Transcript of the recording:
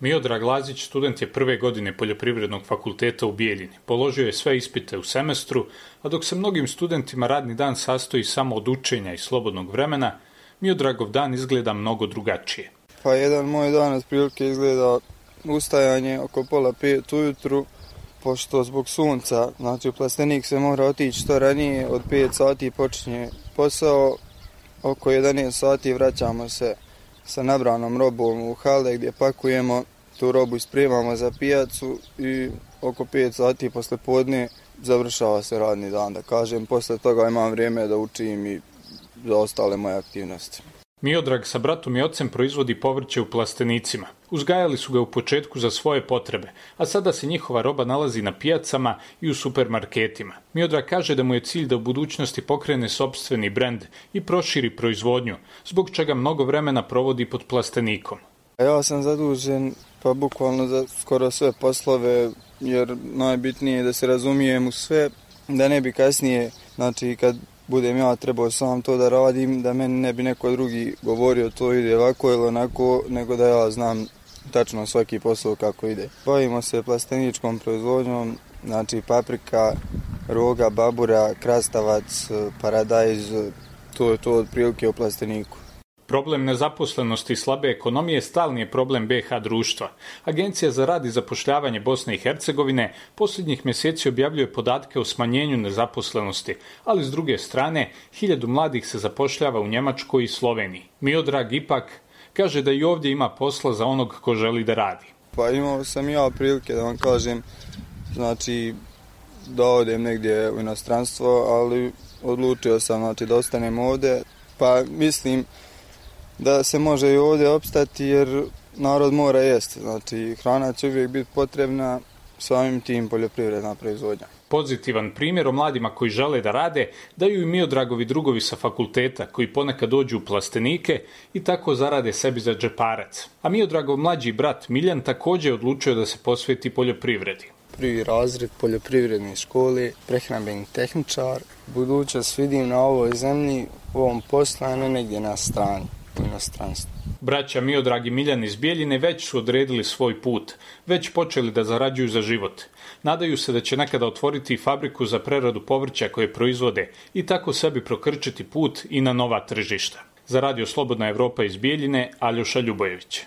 Miodrag Lazić student je prve godine Poljoprivrednog fakulteta u Bijeljini. Položio je sve ispite u semestru, a dok se mnogim studentima radni dan sastoji samo od učenja i slobodnog vremena, Miodragov dan izgleda mnogo drugačije. Pa jedan moj dan otprilike izgleda ustajanje oko 4:30 ujutru, pošto zbog sunca, znači u plastenik se mora otići što ranije, od 5 sati počinje posao, oko 11 sati vraćamo se sa nabranom robom u hale gdje pakujemo tu robu i spremamo za pijacu i oko 5 sati posle podne završava se radni dan, da kažem. Posle toga imam vrijeme da učim i za ostale moje aktivnosti. Miodrag sa bratom i ocem proizvodi povrće u plastenicima. Uzgajali su ga u početku za svoje potrebe, a sada se njihova roba nalazi na pijacama i u supermarketima. Miodrag kaže da mu je cilj da u budućnosti pokrene sopstveni brend i proširi proizvodnju, zbog čega mnogo vremena provodi pod plastenikom. Ja sam zadužen pa bukvalno za skoro sve poslove, jer najbitnije je da se razumijem u sve, da ne bi kasnije, znači kad budem ja trebao sam to da radim, da meni ne bi neko drugi govorio to ide ovako ili onako, nego da ja znam tačno svaki posao kako ide. Bavimo se plasteničkom proizvodnjom, znači roga, babura, krastavac, paradajz, to je to otprilike u plasteniku. Problem nezaposlenosti i slabe ekonomije stalni je problem BiH društva. Agencija za rad i zapošljavanje Bosne i Hercegovine posljednjih mjeseci objavljuje podatke o smanjenju nezaposlenosti, ali s druge strane 1000 mladih se zapošljava u Njemačkoj i Sloveniji. Miodrag ipak kaže da i ovdje ima posla za onog ko želi da radi. Pa imao sam ja prilike da vam kažem, znači da odem negdje u inostranstvo, ali odlučio sam da ostanem ovdje, pa mislim da se može i ovdje opstati jer narod mora jesti. Znači hrana će uvijek biti potrebna, samim tim poljoprivredna proizvodnja. Pozitivan primjer o mladima koji žele da rade daju i Miodragovi drugovi sa fakulteta koji ponekad dođu u plastenike i tako zarade sebi za džeparac. A Miodragov mlađi brat Miljan također je odlučio da se posveti poljoprivredi. Prvi razred poljoprivredne škole, prehrambeni tehničar. Budućnost vidim na ovoj zemlji, u ovom poslu, a ne negdje na strani. Braća Miodrag i Miljan iz Bijeljine već su odredili svoj put, već počeli da zarađuju za život. Nadaju se da će nekada otvoriti fabriku za preradu povrća koje proizvode i tako sebi prokrčiti put i na nova tržišta. Za Radio Slobodna Evropa iz Bijeljine, Aljoša Ljubojević.